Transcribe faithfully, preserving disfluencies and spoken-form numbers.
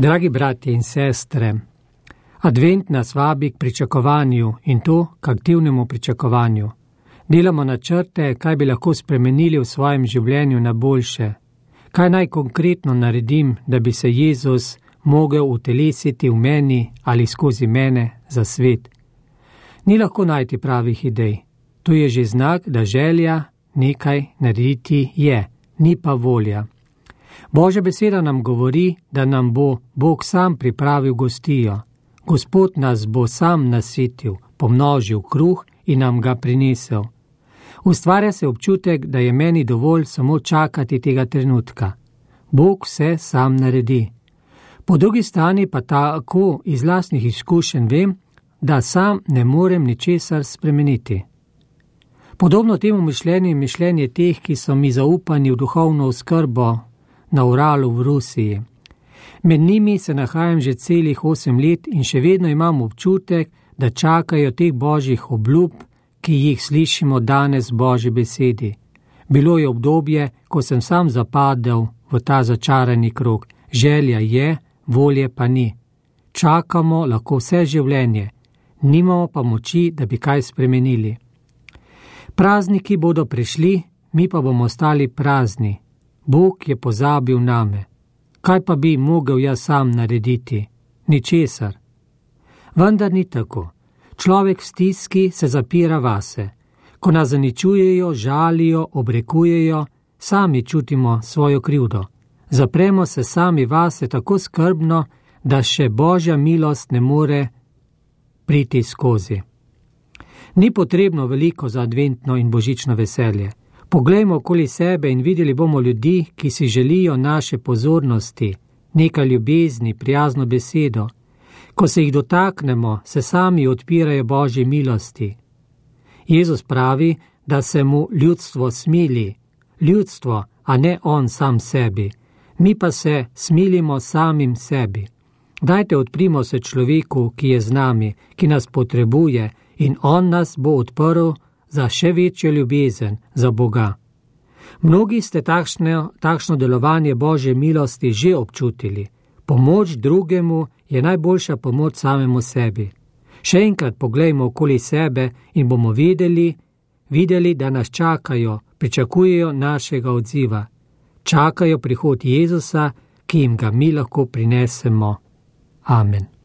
Dragi bratje in sestre, advent nas vabi k pričakovanju in to k aktivnemu pričakovanju. Delamo načrte, kaj bi lahko spremenili v svojem življenju na boljše. Kaj naj konkretno naredim, da bi se Jezus mogel utelesiti v meni ali skozi mene za svet. Ni lahko najti pravih idej. To je že znak, da želja nekaj narediti je, ni pa volja. Božja beseda nam govori, da nam bo Bog sam pripravil gostijo. Gospod nas bo sam nasitil, pomnožil kruh in nam ga prinesel. Ustvarja se občutek, da je meni dovolj samo čakati tega trenutka. Bog vse sam naredi. Po drugi strani pa tako iz lastnih izkušenj vem, da sam ne morem ničesar spremeniti. Podobno temu mišljenju je mišljenje teh, ki so mi zaupani v duhovno oskrbo na Uralu v Rusiji. Med njimi se nahajam že celih osem let in še vedno imam občutek, da čakajo teh božjih obljub, ki jih slišimo danes v Božji besedi. Bilo je obdobje, ko sem sam zapadel v ta začarani krog. Želja je, volje pa ni. Čakamo lahko vse življenje, nimamo pa moči, da bi kaj spremenili. Prazniki bodo prišli, mi pa bomo ostali prazni. Bog je pozabil name. Kaj pa bi mogel jaz sam narediti? Ničesar. Vendar ni tako. Človek v stiski se zapira vase. Ko nas zaničujejo, žalijo, obrekujejo, sami čutimo svojo krivdo. Zapremo se sami vase tako skrbno, da še Božja milost ne more priti skozi. Ni potrebno veliko za adventno in božično veselje. Poglejmo okoli sebe in videli bomo ljudi, ki si želijo naše pozornosti, nekaj ljubezni, prijazno besedo. Ko se jih dotaknemo, se sami odpirajo Božji milosti. Jezus pravi, da se mu ljudstvo smili. Ljudstvo, a ne on sam sebi. Mi pa se smilimo samim sebi. Dajte odprimo se človeku, ki je z nami, ki nas potrebuje in on nas bo odprl za še večjo ljubezen, za Boga. Mnogi ste takšne, takšno delovanje Božje milosti že občutili. Pomoč drugemu je najboljša pomoč samemu sebi. Še enkrat poglejmo okoli sebe in bomo videli, videli, da nas čakajo, pričakujejo našega odziva. Čakajo prihod Jezusa, ki jim ga mi lahko prinesemo. Amen.